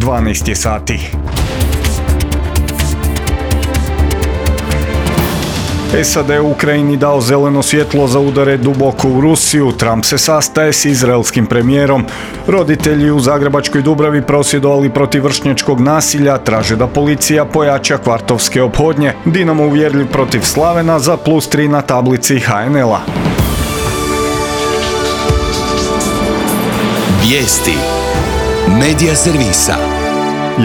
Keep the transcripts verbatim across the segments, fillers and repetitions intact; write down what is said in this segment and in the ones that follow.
dvanaest je sati. S A D u Ukrajini dao zeleno svjetlo za udare duboko u Rusiju. Trump se sastaje s izraelskim premijerom. Roditelji u Zagrebačkoj Dubravi prosvjedovali protiv vršnjačkog nasilja, traže da policija pojača kvartovske ophodnje. Dinamo uvjerljiv protiv Slavena za plus tri na tablici H N L-a. Vijesti Medija servisa.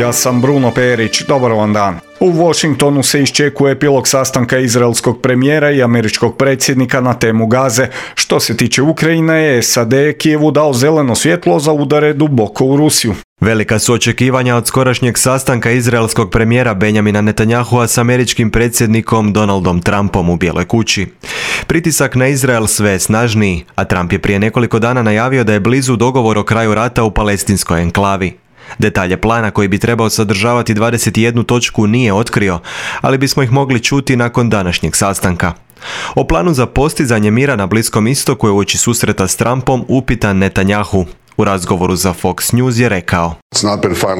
Ja sam Bruno Perić, dobar vam dan. U Washingtonu se iščekuje epilog sastanka izraelskog premijera i američkog predsjednika na temu Gaze. Što se tiče Ukrajine, S A D je Kijevu dao zeleno svjetlo za udare duboko u Rusiju. Velika su očekivanja od skorašnjeg sastanka izraelskog premijera Benjamina Netanyahua s američkim predsjednikom Donaldom Trumpom u Bijeloj kući. Pritisak na Izrael sve je snažniji, a Trump je prije nekoliko dana najavio da je blizu dogovor o kraju rata u palestinskoj enklavi. Detalje plana koji bi trebao sadržavati dvadeset jednu točku nije otkrio, ali bismo ih mogli čuti nakon današnjeg sastanka. O planu za postizanje mira na Bliskom istoku je uoči susreta s Trumpom upitan Netanyahu. U razgovoru za Fox News je rekao: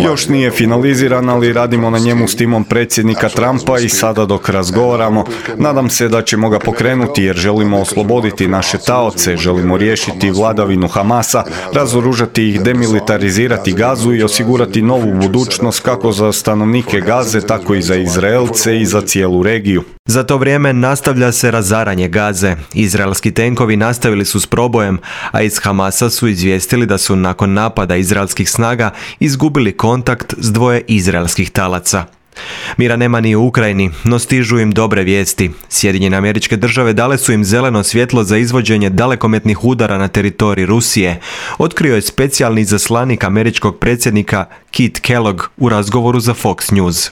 Još nije finaliziran, ali radimo na njemu s timom predsjednika Trumpa i sada dok razgovaramo, nadam se da ćemo ga pokrenuti jer želimo osloboditi naše taoce, želimo riješiti vladavinu Hamasa, razoružati ih, demilitarizirati Gazu i osigurati novu budućnost kako za stanovnike Gaze, tako i za Izraelce i za cijelu regiju. Za to vrijeme nastavlja se razaranje Gaze. Izraelski tenkovi nastavili su s probojem, a iz Hamasa su izvijestili da su nakon napada izraelskih snaga izgubili kontakt s dvoje izraelskih talaca. Mira nema ni u Ukrajini, no stižu im dobre vijesti. Sjedinjene Američke Države dale su im zeleno svjetlo za izvođenje dalekometnih udara na teritorij Rusije, otkrio je specijalni izaslanik američkog predsjednika Kit Kellogg u razgovoru za Fox News.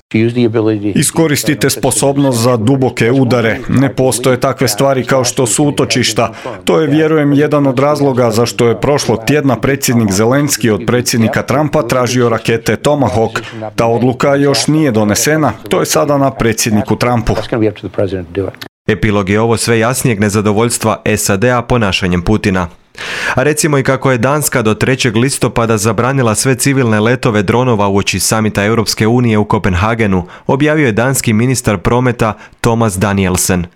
Iskoristite sposobnost za duboke udare. Ne postoje takve stvari kao što su utočišta. To je, vjerujem, jedan od razloga zašto je prošlog tjedna predsjednik Zelenski od predsjednika Trumpa tražio rakete Tomahawk. Ta odluka još nije donesena. To je sada na predsjedniku Trumpu. Epilog je ovo sve jasnijeg nezadovoljstva S A D-a ponašanjem Putina. A recimo i kako je Danska do trećeg listopada zabranila sve civilne letove dronova uoči samita Europske unije u Kopenhagenu, objavio je danski ministar prometa Thomas Danielsen.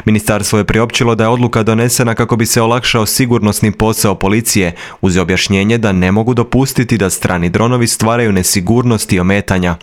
Ministarstvo je priopćilo da je odluka donesena kako bi se olakšao sigurnosni posao policije, uz objašnjenje da ne mogu dopustiti da strani dronovi stvaraju nesigurnost i ometanja.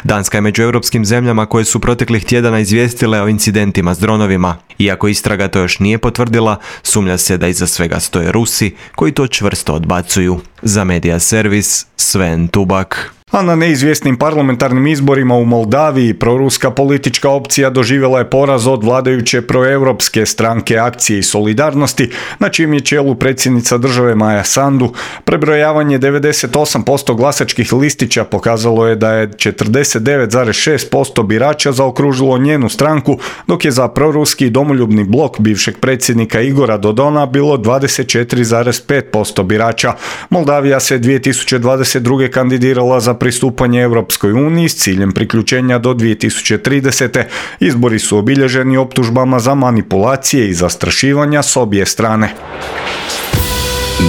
Danska je među europskim zemljama koje su proteklih tjedana izvijestile o incidentima s dronovima. Iako istraga to još nije potvrdila, sumnja se da iza svega stoje Rusi koji to čvrsto odbacuju. Za Medija servis, Sven Tubak. A na neizvjesnim parlamentarnim izborima u Moldaviji proruska politička opcija doživjela je poraz od vladajuće proeuropske stranke Akcije i solidarnosti, na čijem je čelu predsjednica države Maja Sandu. Prebrojavanje devedeset osam posto glasačkih listića pokazalo je da je četrdeset devet zarez šest posto birača zaokružilo njenu stranku, dok je za proruski domoljubni blok bivšeg predsjednika Igora Dodona bilo dvadeset četiri zarez pet posto birača. Moldavija se dvije tisuće dvadeset druge kandidirala za pristupanje Europskoj uniji s ciljem priključenja do dvije tisuće tridesete. Izbori su obilježeni optužbama za manipulacije i zastrašivanja s obje strane.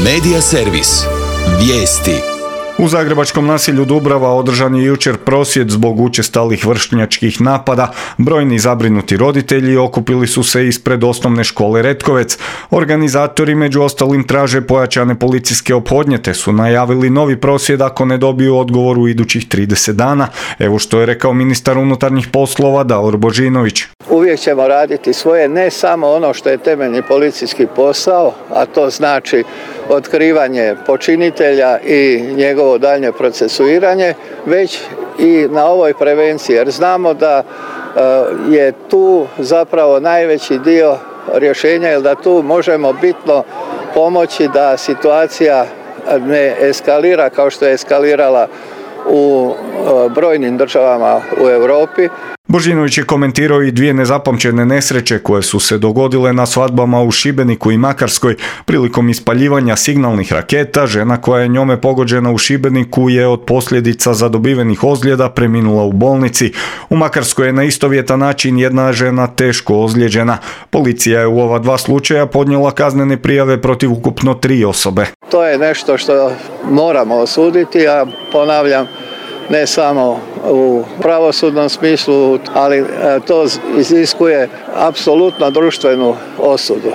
Medija servis. Vijesti. U zagrebačkom naselju Dubrava održan je jučer prosvjed zbog učestalih vršnjačkih napada. Brojni zabrinuti roditelji okupili su se ispred osnovne škole Retkovec. Organizatori među ostalim traže pojačane policijske ophodnje te su najavili novi prosvjed ako ne dobiju odgovor u idućih trideset dana. Evo što je rekao ministar unutarnjih poslova Davor Božinović. Uvijek ćemo raditi svoje, ne samo ono što je temeljni policijski posao, a to znači otkrivanje počinitelja i njegovo daljnje procesuiranje, već i na ovoj prevenciji, jer znamo da je tu zapravo najveći dio rješenja, jer da tu možemo bitno pomoći da situacija ne eskalira kao što je eskalirala u brojnim državama u Europi. Božinović je komentirao i dvije nezapamćene nesreće koje su se dogodile na svadbama u Šibeniku i Makarskoj. Prilikom ispaljivanja signalnih raketa, žena koja je njome pogođena u Šibeniku je od posljedica zadobivenih ozljeda preminula u bolnici. U Makarskoj je na istovjetan način jedna žena teško ozlijeđena. Policija je u ova dva slučaja podnijela kaznene prijave protiv ukupno tri osobe. To je nešto što moramo osuditi, a ponavljam, ne samo u pravosudnom smislu, ali to iziskuje apsolutno društvenu osudu.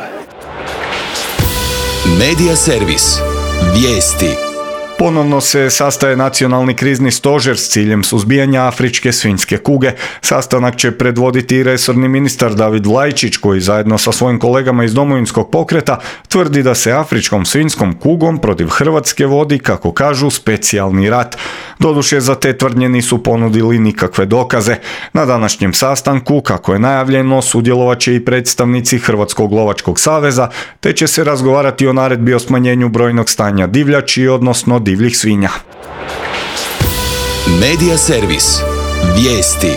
Medija servis. Vijesti. Ponovno se sastaje nacionalni krizni stožer s ciljem suzbijanja afričke svinjske kuge. Sastanak će predvoditi i resorni ministar David Vlajčić, koji zajedno sa svojim kolegama iz Domovinskog pokreta tvrdi da se afričkom svinjskom kugom protiv Hrvatske vodi, kako kažu, specijalni rat. Doduše, za te tvrdnje nisu ponudili nikakve dokaze. Na današnjem sastanku, kako je najavljeno, sudjelovat će i predstavnici Hrvatskog lovačkog saveza, te će se razgovarati o naredbi o smanjenju brojnog stanja divljači, odnosno divljih svinja. Medija servis. Vijesti.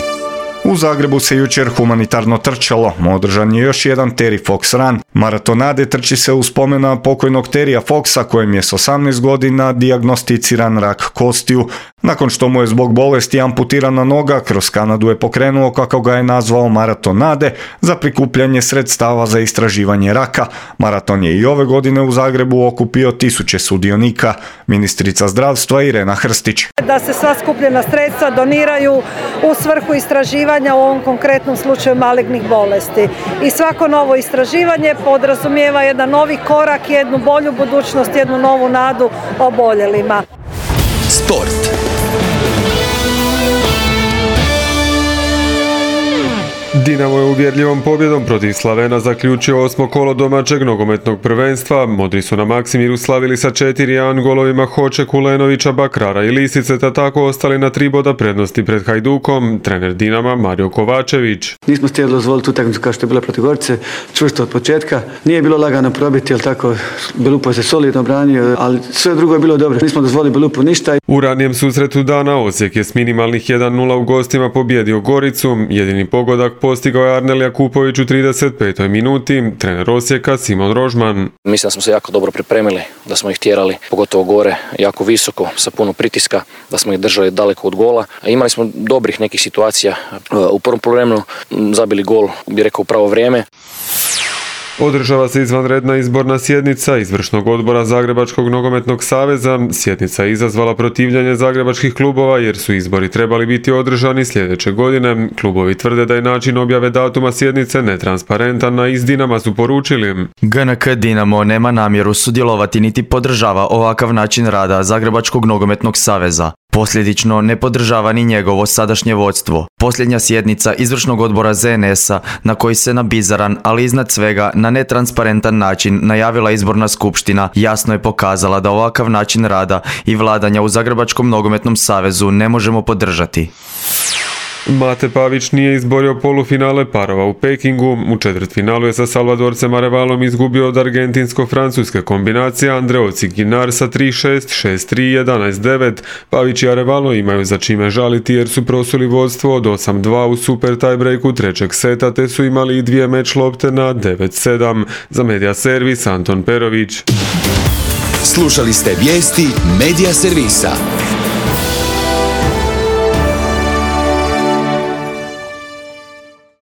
U Zagrebu se jučer humanitarno trčalo. Održan je još jedan Terry Fox Run. Maratonade trči se u spomen na pokojnog Terrya Foxa, kojem je s osamnaest godina dijagnosticiran rak kostiju. Nakon što mu je zbog bolesti amputirana noga, kroz Kanadu je pokrenuo, kako ga je nazvao, maratonade za prikupljanje sredstava za istraživanje raka. Maraton je i ove godine u Zagrebu okupio tisuće sudionika. Ministrica zdravstva Irena Hrstić. Da se sva skupljena sredstva doniraju u svrhu istraživanja, u ovom konkretnom slučaju malignih bolesti. I svako novo istraživanje podrazumijeva jedan novi korak, jednu bolju budućnost, jednu novu nadu oboljelima. Sport. Dinamo je uvjerljivom pobjedom protiv Slavena zaključio osmo kolo domaćeg nogometnog prvenstva. Modri su na Maksimiru slavili sa četiri jedan golovima Hoče, Kulenovića, Bakrara i Lisice, te tako ostali na tri boda prednosti pred Hajdukom. Trener Dinama Mario Kovačević. Nismo htjeli dozvoliti utakmicu kao što je bila protiv Gorice, čvrsto od početka. Nije bilo lagano probiti, jer tako Belupo se solidno branio, ali sve drugo je bilo dobro. Nismo dozvolili Belupu ništa. U ranijem susretu dana Osijek je s minimalnih jedan nula u gostima pobjedio Goricu. Jedini pogodak postigao je Arnel Jakupović u trideset petoj minuti, trener Osijeka Simon Rožman. Mislim da smo se jako dobro pripremili, da smo ih tjerali, pogotovo gore, jako visoko, sa puno pritiska, da smo ih držali daleko od gola. Imali smo dobrih nekih situacija. U prvom poluvremenu zabili gol, bih rekao, u pravo vrijeme. Održava se izvanredna izborna sjednica izvršnog odbora Zagrebačkog nogometnog saveza. Sjednica je izazvala protivljenje zagrebačkih klubova jer su izbori trebali biti održani sljedeće godine. Klubovi tvrde da je način objave datuma sjednice netransparentan, a iz Dinama su poručili: G N K Dinamo nema namjeru sudjelovati niti podržava ovakav način rada Zagrebačkog nogometnog saveza. Posljedično ne podržava ni njegovo sadašnje vodstvo. Posljednja sjednica izvršnog odbora Z N S-a, na koji se na bizaran, ali iznad svega na netransparentan način najavila izborna skupština, jasno je pokazala da ovakav način rada i vladanja u Zagrebačkom nogometnom savezu ne možemo podržati. Mate Pavić nije izborio polufinale parova u Pekingu. U četvrtfinalu je sa Salvadorcem Arevalom izgubio od argentinsko-francuske kombinacije Andreo Ciginar sa tri šest, šest tri, jedanaest devet. Pavić i Arevalo imaju za čime žaliti jer su prosuli vodstvo od osam dva u super tiebreaku trećeg seta, te su imali i dvije meč lopte na devet sedam. Za Medija servis Anton Perović. Slušali ste vijesti Medija servisa.